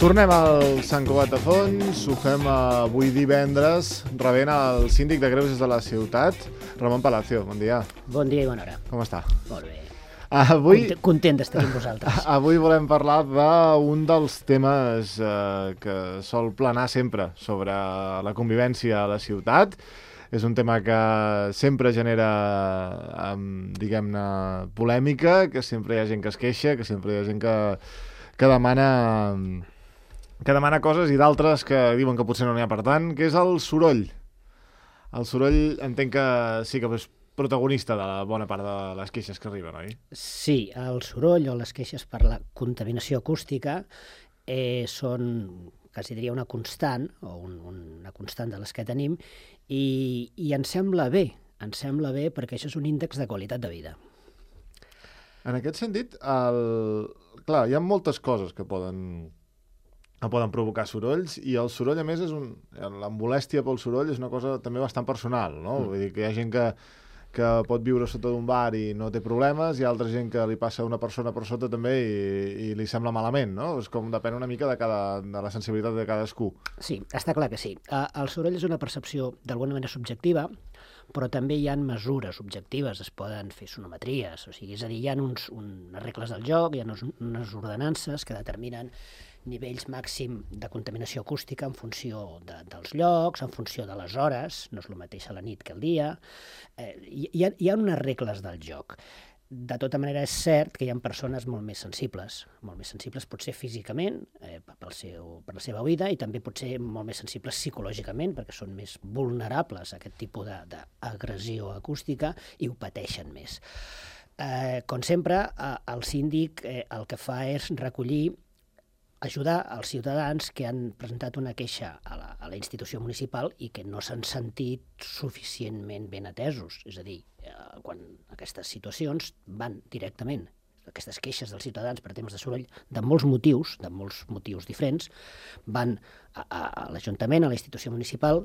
Tornem al Sant Cugat de Fons, ho fem avui divendres, rebent el síndic de Greuges de la ciutat, Ramon Palacio. Bon dia. Bon dia i bona hora. Com està? Molt bé. Avui, Content d'estar amb vosaltres. Avui volem parlar d'un dels temes que sol planar sempre sobre la convivència a la ciutat. És un tema que sempre genera, diguem-ne, polèmica, que sempre hi ha gent que es queixa, que sempre hi ha gent que demana coses i d'altres que diuen que potser no n'hi ha per tant, que és el soroll. El soroll entenc que sí que és protagonista de la bona part de les queixes que arriben, oi? Sí, el soroll o les queixes per la contaminació acústica són, quasi diria, una constant, o una constant de les que tenim, i ens sembla bé perquè això és un índex de qualitat de vida. En aquest sentit, clar, hi ha moltes coses que poden provocar sorolls, i el soroll, a més, la molèstia pel soroll és una cosa també bastant personal, no? Vull dir que hi ha gent que pot viure sota d'un bar i no té problemes, hi ha altra gent que li passa una persona per sota també i li sembla malament, no? És com depèn una mica de la sensibilitat de cadascú. Sí, està clar que sí. El soroll és una percepció d'alguna manera subjectiva, però també hi ha mesures objectives, es poden fer sonometries, o sigui, és a dir, hi ha unes regles del joc, hi ha unes ordenances que determinen nivells màxim de contaminació acústica en funció dels llocs, en funció de les hores, no és el mateix a la nit que al dia. Hi ha unes regles del joc. De tota manera, és cert que hi ha persones molt més sensibles potser físicament, per la seva vida, i també potser molt més sensibles psicològicament, perquè són més vulnerables a aquest tipus d'agressió acústica i ho pateixen més. Com sempre, el síndic el que fa és ajudar els ciutadans que han presentat una queixa a la institució municipal i que no s'han sentit suficientment ben atesos. És a dir, quan aquestes situacions van directament, aquestes queixes dels ciutadans per temes de soroll, de molts motius diferents, van a l'Ajuntament, a la institució municipal,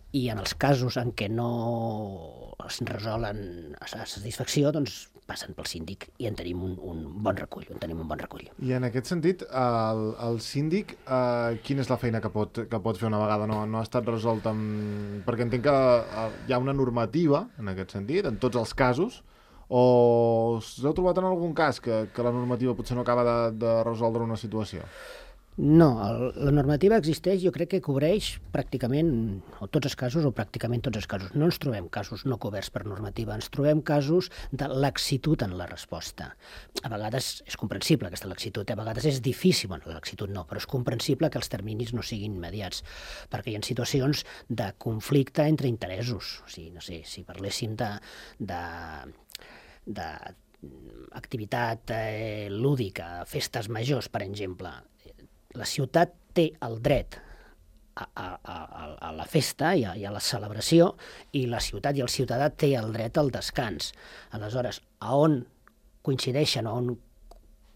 i en els casos en què no es resolen a satisfacció, doncs passen pel síndic i en tenim un bon recull. I en aquest sentit, el síndic, quina és la feina que pot fer una vegada no ha estat resolt? Perquè entenc que hi ha una normativa, en aquest sentit, en tots els casos, o s'ha trobat en algun cas que la normativa potser no acaba de resoldre una situació? No, la normativa existeix, jo crec que cobreix pràcticament tots els casos o pràcticament tots els casos. No ens trobem casos no coberts per normativa, ens trobem casos de laxitud en la resposta. A vegades és comprensible aquesta laxitud, a vegades és difícil, bueno, la laxitud no, però és comprensible que els terminis no siguin immediats, perquè hi ha situacions de conflicte entre interessos. O sigui, no sé, si parléssim d'activitat lúdica, festes majors, per exemple, la ciutat té el dret a la festa i a la celebració, i la ciutat i el ciutadà té el dret al descans. Aleshores, a on coincideixen, on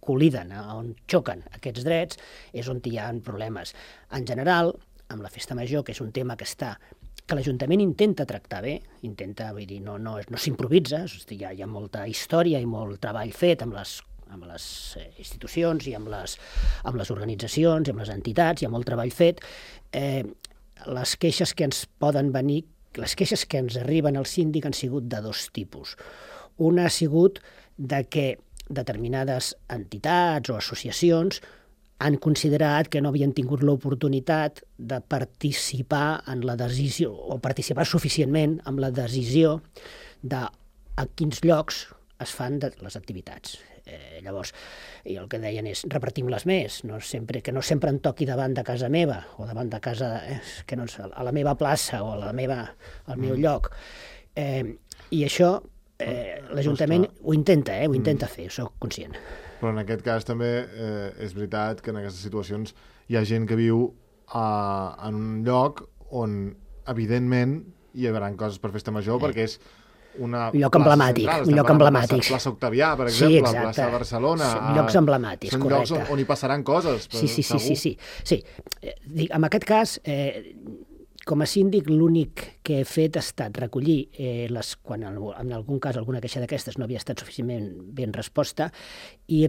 col·liden, on xoquen aquests drets, és on hi ha problemes. En general, amb la festa major, que és un tema que l'Ajuntament intenta tractar bé, vull dir, no s'improvisa, hi ha molta història i molt treball fet amb les institucions i amb les organitzacions i amb les entitats, hi ha molt treball fet. Les queixes que ens poden venir, les queixes que ens arriben al síndic han sigut de dos tipus. Una ha sigut de que determinades entitats o associacions han considerat que no havien tingut l'oportunitat de participar en la decisió, o participar suficientment en la decisió de a quins llocs es fan les activitats. Llavors, i el que deien és repartim-les més, que no sempre em toqui davant de casa meva o davant de casa, a la meva plaça o al meu lloc. I això l'Ajuntament ho intenta fer, soc conscient. Però en aquest cas també és veritat que en aquestes situacions hi ha gent que viu en un lloc on evidentment hi haurà coses per festa major, perquè és un lloc emblemàtic. Plaça Octavià, per exemple, plaça de Barcelona. Són llocs emblemàtics, correcte. Són llocs on hi passaran coses. Sí. En aquest cas, com a síndic, l'únic que he fet ha estat recollir, quan en algun cas alguna queixa d'aquestes no havia estat suficientment ben resposta, i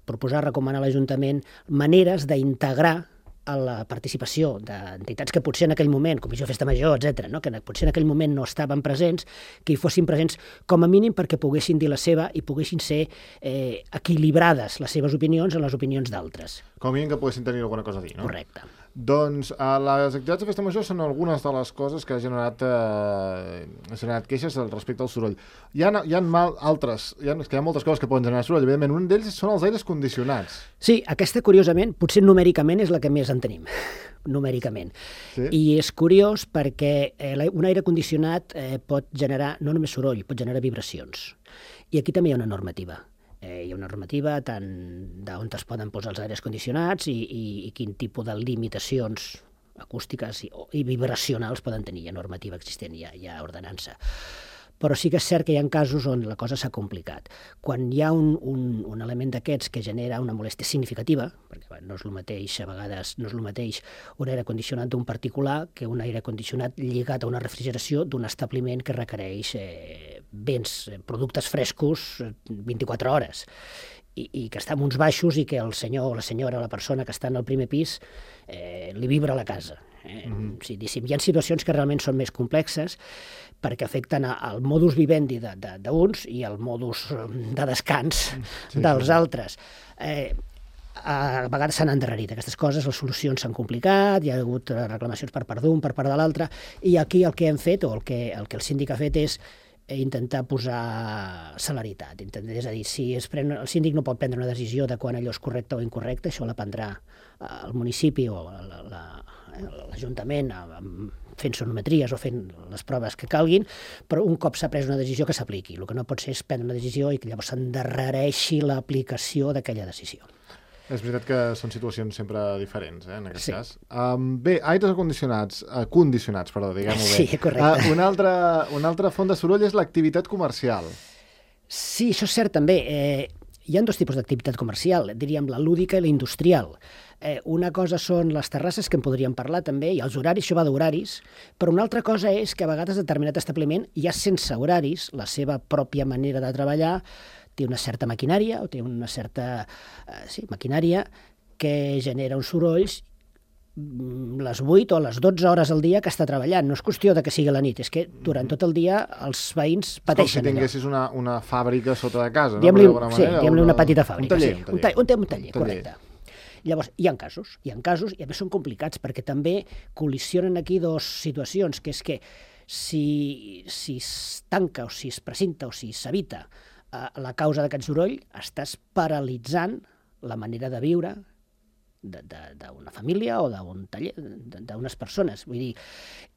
proposar, recomanar a l'Ajuntament maneres d'integrar a la participació d'entitats que potser en aquell moment, Comissió de Festa Major, etc., no? Que potser en aquell moment no estaven presents, que hi fossin presents com a mínim perquè poguessin dir la seva i poguessin ser equilibrades les seves opinions en les opinions d'altres. Com a mínim que poguessin tenir alguna cosa a dir, no? Correcte. Doncs les activitats de Festa Major són algunes de les coses que ha generat queixes respecte al soroll. Hi ha altres, hi ha moltes coses que poden generar soroll. Evidentment, un d'ells són els aires condicionats. Sí, aquesta, curiosament, potser numèricament és la que més en tenim, numèricament. Sí? I és curiós perquè un aire condicionat pot generar no només soroll, pot generar vibracions. I aquí també hi ha una normativa. Hi ha una normativa tant d'on es poden posar els aires condicionats i quin tipus de limitacions acústiques i vibracionals poden tenir. Hi ha normativa existent, hi ha ordenança. Però sí que és cert que hi ha casos on la cosa s'ha complicat. Quan hi ha un element d'aquests que genera una molèstia significativa, perquè no és el mateix, a vegades no és el mateix un aire condicionat d'un particular que un aire condicionat lligat a una refrigeració d'un establiment que requereix productes frescos 24 hores i que està en uns baixos i que el senyor o la senyora, la persona que està en el primer pis, li vibra la casa. Hi ha situacions que realment són més complexes perquè afecten al modus vivendi d'uns i al modus de descans dels altres. A vegades s'han endarrerit aquestes coses, les solucions s'han complicat, hi ha hagut reclamacions per part d'un, per part de l'altre, i aquí el que hem fet, o el que el síndic ha fet és intentar posar celeritat. És a dir, si el síndic no pot prendre una decisió de quan allò és correcte o incorrecte, això la prendrà el municipi o l'Ajuntament fent sonometries o fent les proves que calguin, però un cop s'ha pres una decisió que s'apliqui. El que no pot ser és prendre una decisió i que llavors s'endarrereixi l'aplicació d'aquella decisió. És veritat que són situacions sempre diferents, en aquest cas. Bé, aires condicionats, diguem-ho bé. Sí, correcte. Una altra font de soroll és l'activitat comercial. Sí, això és cert també. Hi ha dos tipus d'activitat comercial, diríem la lúdica i la industrial. Una cosa són les terrasses, que en podríem parlar també, i els horaris, això va d'horaris, però una altra cosa és que a vegades determinat establiment, ja sense horaris, la seva pròpia manera de treballar, té una certa maquinària, o té una certa maquinària que genera uns sorolls les 8 o les 12 hores al dia que està treballant. No és qüestió de que sigui a la nit, és que durant tot el dia els veïns pateixen. Com si tinguessis una fàbrica sota de casa, no? Diguem-li una petita fàbrica. Un taller, correcte. Llavors, hi ha casos, i a més són complicats, perquè també col·lisionen aquí dues situacions, que és que si es tanca o si es precinta o si s'evita la causa d'aquest soroll, estàs paralitzant la manera de viure d'una família o d'un taller, d'unes persones. Vull dir,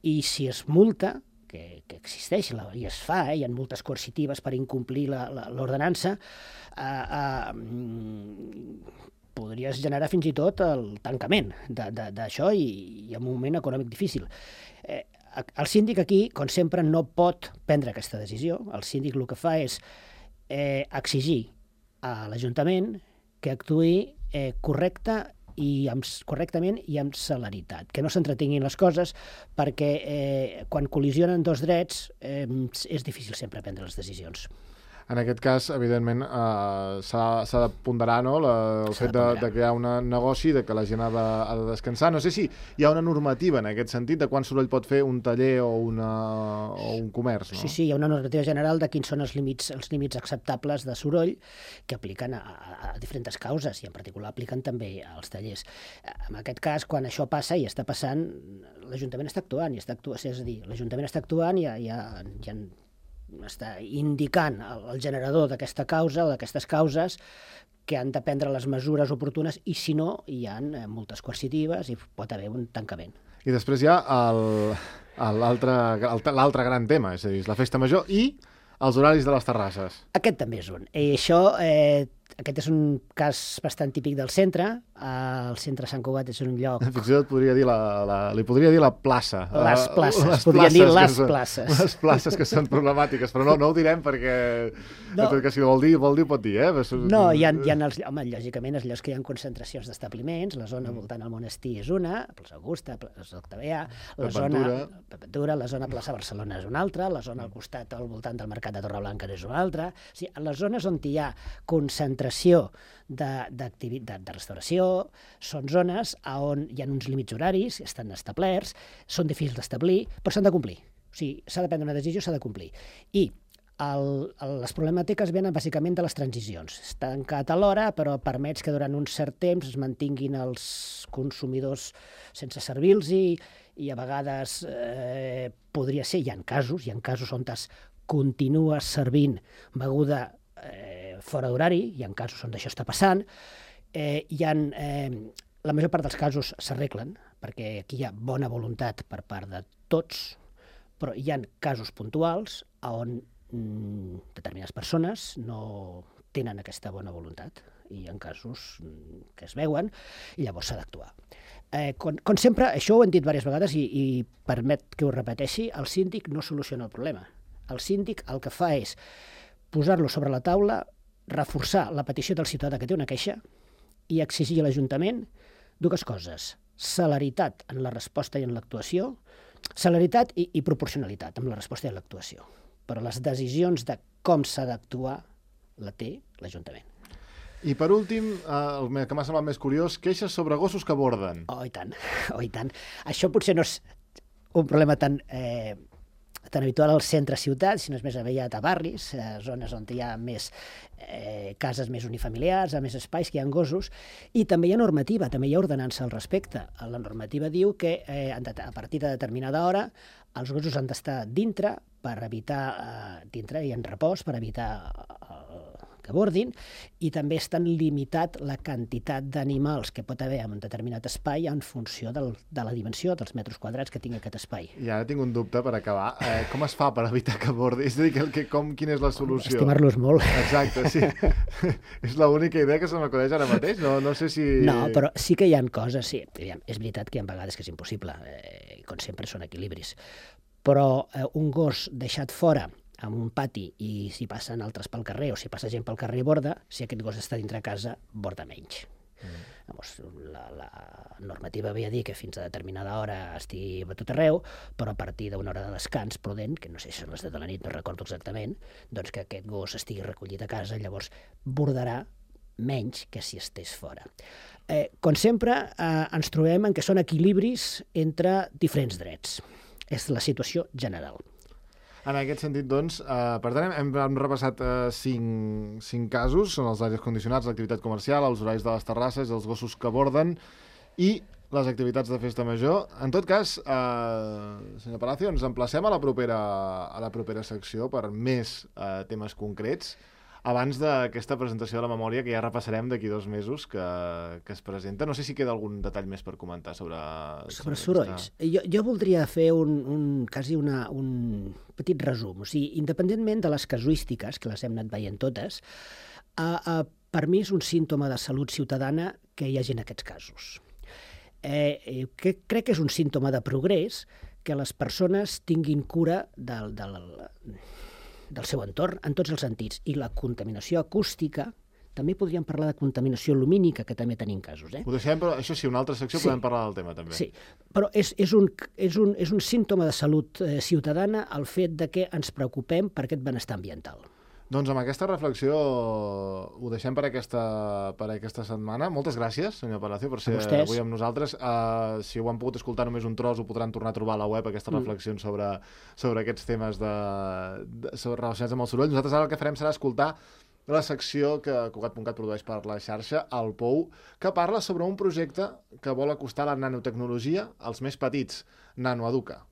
i si es multa, que existeix i es fa, hi ha multes coercitives per incomplir l'ordenança, podries generar fins i tot el tancament d'això i en un moment econòmic difícil. El síndic aquí, com sempre, no pot prendre aquesta decisió. El síndic el que fa és exigir a l'Ajuntament que actuï correctament i amb celeritat, que no s'entretinguin les coses, perquè quan col·lisionen dos drets és difícil sempre prendre les decisions. En aquest cas, evidentment, s'ha de ponderar, no?, el fet de crear un negoci, de que la gent ha de descansar. No sé si hi ha una normativa en aquest sentit de quant soroll pot fer un taller o un comerç, no? Sí, hi ha una normativa general de quins són els límits acceptables de soroll que apliquen a diferents causes i en particular apliquen també als tallers. En aquest cas, quan això passa i està passant, l'Ajuntament està actuant, és a dir, l'Ajuntament està actuant i està indicant al generador d'aquesta causa o d'aquestes causes que han de prendre les mesures oportunes i, si no, hi ha multes coercitives i pot haver un tancament. I després hi ha l'altre gran tema, és a dir, la festa major i els horaris de les terrasses. Aquest també és un. I això, aquest és un cas bastant típic del centre. El centre Sant Cugat és un lloc... Fins i tot li podria dir la plaça. Les places, podria dir les places. Les places que són problemàtiques, però no ho direm perquè... No. Que si vol dir, ho pot dir, No, hi ha lògicament, els llocs que hi ha concentracions d'establiments, la zona voltant al monestir és una, plaça Augusta, plaça Octavià, la zona plaça Barcelona és una altra, la zona al costat, al voltant del mercat de Torreblanca és una altra. O sigui, les zones on hi ha concentracions concentració de restauració, són zones on hi ha uns límits horaris, estan establerts, són difícils d'establir, però s'han de complir. O sigui, s'ha de prendre una decisió, s'ha de complir. I les problemàtiques venen bàsicament de les transicions. És tancat a l'hora, però permets que durant un cert temps es mantinguin els consumidors sense servir-los i a vegades podria ser, hi ha casos on es continua servint beguda fora d'horari, hi ha casos on això està passant, la major part dels casos s'arreglen, perquè aquí hi ha bona voluntat per part de tots, però hi ha casos puntuals on determinades persones no tenen aquesta bona voluntat i hi ha casos que es veuen i llavors s'ha d'actuar. Com sempre, això ho hem dit diverses vegades i permet que ho repeteixi, el síndic no soluciona el problema. El síndic el que fa és posar-lo sobre la taula, reforçar la petició del ciutadà que té una queixa i exigir a l'Ajuntament dues coses: celeritat en la resposta i en l'actuació, celeritat i proporcionalitat amb la resposta i en l'actuació. Però les decisions de com s'ha d'actuar la té l'Ajuntament. I per últim, el que m'ha semblat més curiós, queixes sobre gossos que borden. Oh, i tant, oh, i tant. Això potser no és un problema tan habitual al centre-ciutat, sinó és més aviat a barris, zones on hi ha més cases més unifamiliars, a més espais que hi ha gossos, i també hi ha normativa, també hi ha ordenança al respecte. La normativa diu que a partir de determinada hora els gossos han d'estar dintre per evitar, dintre i en repòs, per evitar que bordin, i també és tan limitat la quantitat d'animals que pot haver en un determinat espai en funció de la dimensió dels metres quadrats que tingui aquest espai. I ara tinc un dubte per acabar. Com es fa per evitar que bordi? És a dir, quina és la solució? Estimar-los molt. Exacte, sí. És l'única idea que se m'acudeix ara mateix. No sé si... No, però sí que hi ha coses, sí. És veritat que hi ha vegades que és impossible. Com sempre són equilibris. Però un gos deixat fora en un pati i si passen altres pel carrer o si passa gent pel carrer i borda, si aquest gos està dintre casa, borda menys. Llavors, la normativa havia dit que fins a determinada hora estigui a tot arreu, però a partir d'una hora de descans prudent, que no sé si són les 10 de la nit, no recordo exactament, doncs que aquest gos estigui recollit a casa, llavors bordarà menys que si estés fora. Com sempre, ens trobem en que són equilibris entre diferents drets. És la situació general. En aquest sentit, doncs, per tant, hem repassat 5 casos, són els aires condicionats, l'activitat comercial, els horaris de les terrasses, els gossos que borden i les activitats de festa major. En tot cas, senyor Palacio, ens emplacem a la propera secció per més temes concrets, abans d'aquesta presentació de la memòria que ja repassarem d'aquí 2 mesos que es presenta. No sé si queda algun detall més per comentar sobre sorolls. Jo voldria fer quasi un petit resum. O sigui, independentment de les casuístiques, que les hem anat veient totes, per mi és un símptoma de salut ciutadana que hi hagi en aquests casos. Crec que és un símptoma de progrés que les persones tinguin cura del seu entorn en tots els sentits. I la contaminació acústica, també podríem parlar de contaminació lumínica, que també tenim casos. Ho deixem, però això sí, una altra secció podem parlar del tema també. Sí, però és un símptoma de salut ciutadana el fet de que ens preocupem per aquest benestar ambiental. Doncs amb aquesta reflexió ho deixem per aquesta setmana. Moltes gràcies, senyor Palacio, per ser avui amb nosaltres. Si ho han pogut escoltar només un tros, ho podran tornar a trobar a la web, aquestes reflexions sobre aquests temes relacionats amb el soroll. Nosaltres ara el que farem serà escoltar la secció que Cugat.cat produeix per la xarxa, el POU, que parla sobre un projecte que vol acostar la nanotecnologia als més petits, Nanoeduca.